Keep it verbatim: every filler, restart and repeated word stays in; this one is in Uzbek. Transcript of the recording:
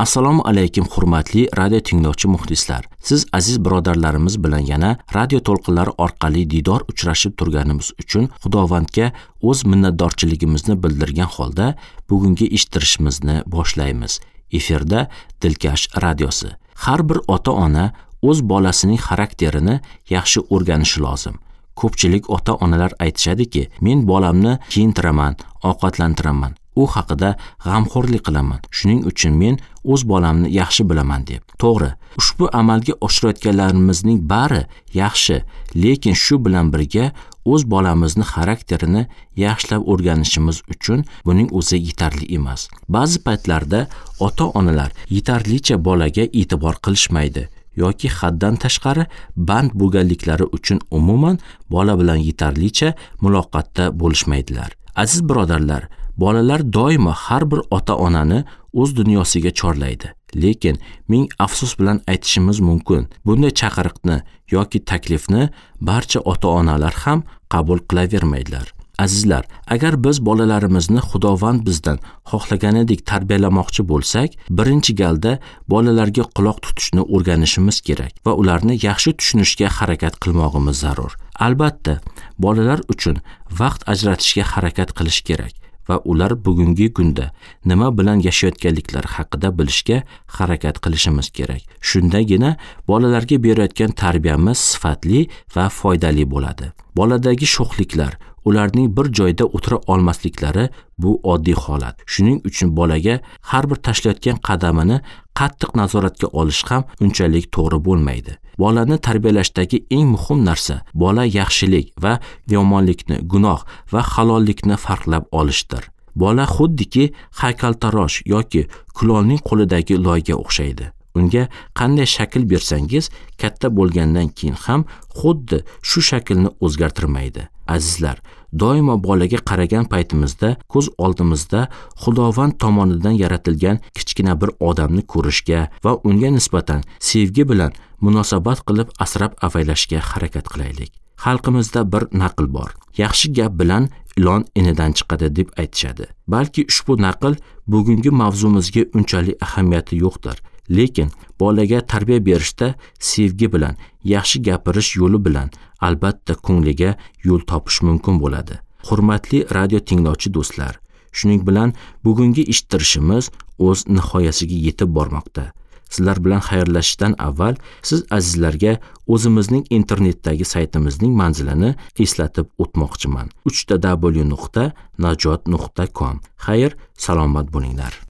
Assalomu alaykum hurmatli radio tinglovchi muxlislar. Siz aziz birodarlarimiz bilan yana radio to'lqinlari orqali diydor uchrashib turganimiz uchun Xudovandga o'z minnatdorchiligimizni bildirgan holda bugungi eshittirishimizni boshlaymiz. Efirda Dilkash radiosi. Har bir ota-ona o'z bolasining xarakterini yaxshi o'rganishi lozim. Ko'pchilik ota-onalar aytishadiki, men bolamni kiyintiraman, ovqatlantiraman, u haqida g'amxo'rlik qilaman. Shuning uchun men o'z bolamni yaxshi bilaman deb. To'g'ri, ushbu amalga oshirayotganlarimizning bari yaxshi, lekin shu bilan birga o'z bolamizni xarakterini yaxshilab o'rganishimiz uchun buning o'zi yetarli emas. Ba'zi paytlarda ota-onalar yetarlicha bolaga e'tibor qilishmaydi yoki haddan tashqari band bo'lganliklari uchun umuman bola bilan yetarlicha muloqotda bo'lishmaydilar. Aziz birodarlar, bolalar doimo har bir ota-onani o'z dunyosiga chorlaydi. Lekin ming afsus bilan aytishimiz mumkin, bunday chaqiriqni yoki taklifni barcha ota-onalar ham qabul qilavermaydilar. Azizlar, agar biz bolalarimizni Xudovand bizdan xohlaganidek tarbiyalamoqchi bo'lsak, birinchi galda bolalarga quloq tutishni o'rganishimiz kerak va ularni yaxshi tushunishga harakat qilmog'imiz zarur. Albatta, bolalar uchun vaqt ajratishga harakat qilish kerak va ular bugungi kunda nima bilan yashayotganliklari haqida bilishga harakat qilishimiz kerak. Shundagina bolalarga berayotgan tarbiyamiz sifatli va foydali bo'ladi. Boladagi sho'xliklar, ularning bir joyda o'tira olmasliklari bu oddiy holat. Shuning uchun bolaga har bir tashlayotgan qadamini qattiq nazoratga olish ham unchalik to'g'ri bo'lmaydi. Bolani tarbiyalashdagi eng muhim narsa bola yaxshilik va yomonlikni, gunoh va halollikni farqlab olishdir. Bola xuddiki haykaltarosh yoki kulolning qo'lidagi loyga o'xshaydi. Unga qanday shakl bersangiz, katta bo'lgandan keyin ham xuddi shu shaklni o'zgartirmaydi. Azizlar, doimo bolaga qaragan paytimizda ko'z oldimizda Xudovand tomonidan yaratilgan kichkina bir odamni ko'rishga va unga nisbatan sevgi bilan munosabat qilib asrab avaylashga harakat qilaylik. Xalqimizda bir naql bor. Yaxshi gap bilan ilon inidan chiqadi deb aytishadi. Balki ushbu naql bugungi mavzumizga unchalik ahamiyati yo'qdir. Lekin bolaga tarbiya berishda sevgi bilan, yaxshi gapirish yo'li bilan albatta ko'ngliga yo'l topish mumkin bo'ladi. Hurmatli radio tinglovchi do'stlar, shuning bilan bugungi eshittirishimiz o'z nihoyasiga yetib bormoqda. Sizlar bilan xayrlashishdan avval siz azizlarga o'zimizning internetdagi saytimizning manzilini eslatib o'tmoqchiman. uch ta w nuqta najot nuqta com. Xayr, salomat bo'linglar.